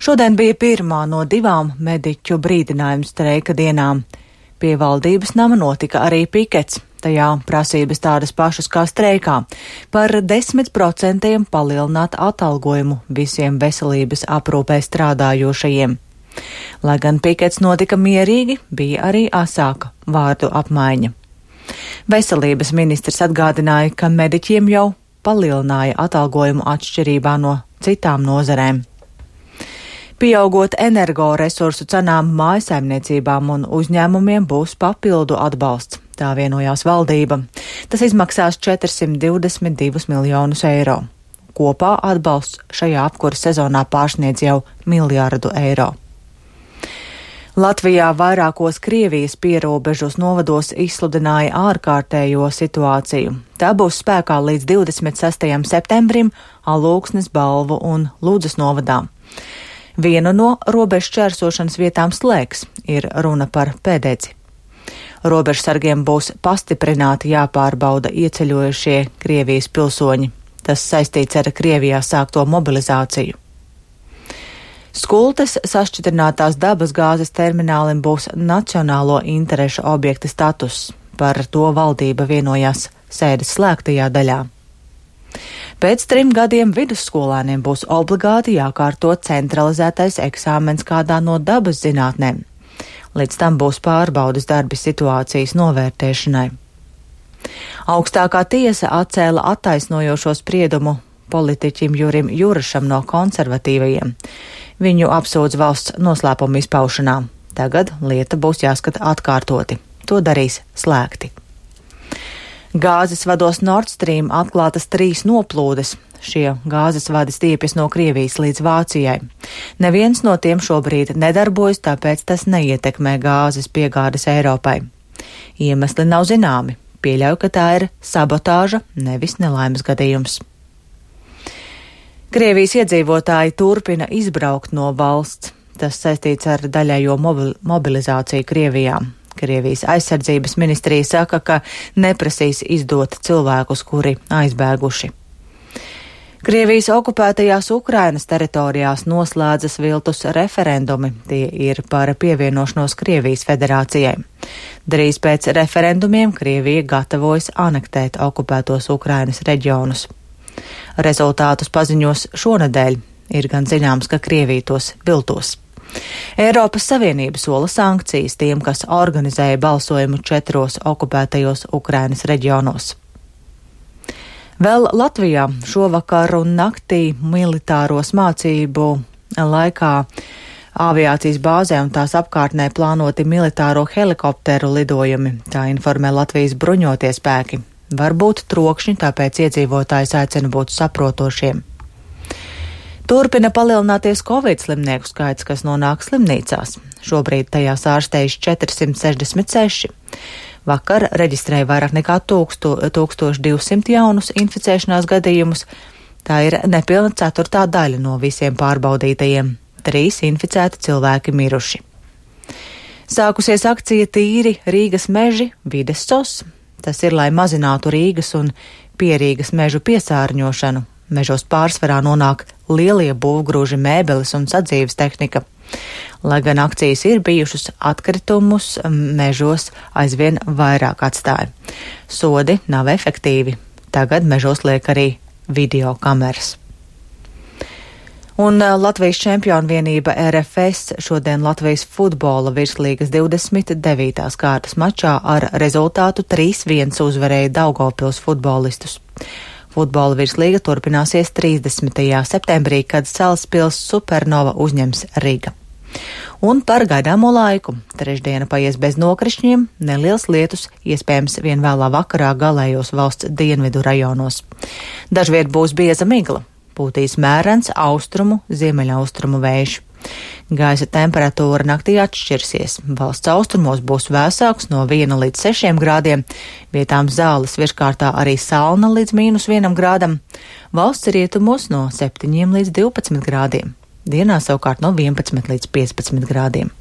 Šodien bija pirmā no 2 mediķu brīdinājumu streika dienām. Pie valdības nama notika arī pikets. Tajā prasības tādas pašas kā streikā - par 10% palielināt atalgojumu visiem veselības aprūpē strādājošajiem. Lai gan pikets notika mierīgi, bija arī asāka vārdu apmaiņa. Veselības ministrs atgādināja, ka mediķiem jau palielināja atalgojumu atšķirībā no citām nozarēm. Pieaugot energoresursu cenām, mājsaimniecībām un uzņēmumiem būs papildu atbalsts, tā vienojās valdība. Tas izmaksās 422 miljonus eiro. Kopā atbalsts šajā apkuras sezonā pārsniedz jau 1 miljardu eiro. Latvijā vairākos Krievijas pierobežos novados izsludināja ārkārtējo situāciju. Tā būs spēkā līdz 26. septembrim Alūksnes, Balvu un Ludzas novadā. Vienu no robežu čērsošanas vietām slēgs, ir runa par Pēdeci. Robežsargiem būs pastiprināti jāpārbauda ieceļojušie Krievijas pilsoņi. Tas saistīts ar Krievijā sākto mobilizāciju. Skultes sašķidrinātās dabas gāzes terminālim būs nacionālo interešu objekta status. Par to valdība vienojās sēdes slēgtajā daļā. Pēc 3 gadiem vidusskolēniem būs obligāti jākārto centralizētais eksāmens kādā no dabas zinātnēm. Līdz tam būs pārbaudas darbi situācijas novērtēšanai. Augstākā tiesa atcēla attaisnojošo spriedumu politiķim Jurim Jurašam no konservatīvajiem. Viņu apsūdz valsts noslēpuma izpaušanā. Tagad lieta būs jāskata atkārtoti. To darīs slēgti. Gāzes vados Nord Stream atklātas 3 noplūdes. Šie gāzes vadi stiepjas no Krievijas līdz Vācijai. Neviens no tiem šobrīd nedarbojas, tāpēc tas neietekmē gāzes piegādes Eiropai. Iemesli nav zināmi. Pieļauju, ka tā ir sabotāža, nevis nelaimes gadījums. Krievijas iedzīvotāji turpina izbraukt no valsts. Tas saistīts ar daļējo mobilizāciju Krievijā. Krievijas aizsardzības ministrija saka, ka neprasīs izdot cilvēkus, kuri aizbēguši. Krievijas okupētajās Ukrainas teritorijās noslēdzas viltus referendumi. Tie ir par pievienošanos Krievijas federācijai. Drīz pēc referendumiem Krievija gatavojas anektēt okupētos Ukrainas reģionus. Rezultātus paziņos šonedēļ. Ir gan zināms, ka Krievija tos viltos. Eiropas Savienība sola sankcijas tiem, kas organizēja balsojumu 4 okupētajos Ukrainas reģionos. Vēl Latvijā šovakar un naktī militāros mācību laikā aviācijas bāzē un tās apkārtnē plānoti militāro helikopteru lidojumi, tā informē Latvijas bruņotie spēki. Varbūt trokšņi, tāpēc iedzīvotājs aicina būt saprotošiem. Turpina palielināties Covid slimnieku skaits, kas nonāk slimnīcās. Šobrīd tajās ārstējas 466. Vakar reģistrēja vairāk nekā 1200 jaunus inficēšanās gadījumus. Tā ir nepilna 1/4 daļa no visiem pārbaudītajiem. 3 inficēti cilvēki miruši. Sākusies akcija Tīri Rīgas meži vides SOS. Tas ir, lai mazinātu Rīgas un Pierīgas mežu piesārņošanu. Mežos pārsvarā nonāk lielie būvgrūži, mēbeles un sadzīves tehnika. Lai gan akcijas ir bijušas, atkritumus mežos aizvien vairāk atstāja. Sodi nav efektīvi. Tagad mežos liek arī video kameras. Un Latvijas čempionu vienība RFS šodien Latvijas futbola virslīgas 29. kārtas mačā ar rezultātu 3-1 uzvarēja Daugavpils futbolistus. Futbola virslīga turpināsies 30. septembrī, kad Salaspils Supernova uzņems Riga. Un par gaidāmo laiku. Trešdiena paies bez nokrišņiem, neliels lietus, iespējams vien vēlā vakarā galējos valsts dienvidu rajonos. Dažviet būs bieza migla. Pūtīs mērens austrumu, ziemeļaustrumu vējš. Gaisa temperatūra naktī atšķirsies. Valsts austrumos būs vēsāks no 1 līdz 6 grādiem, vietām Zāles virskārtā arī Salna līdz -1 grādam, valsts rietumos no 7 līdz 12 grādiem, dienā savukārt no 11 līdz 15 grādiem.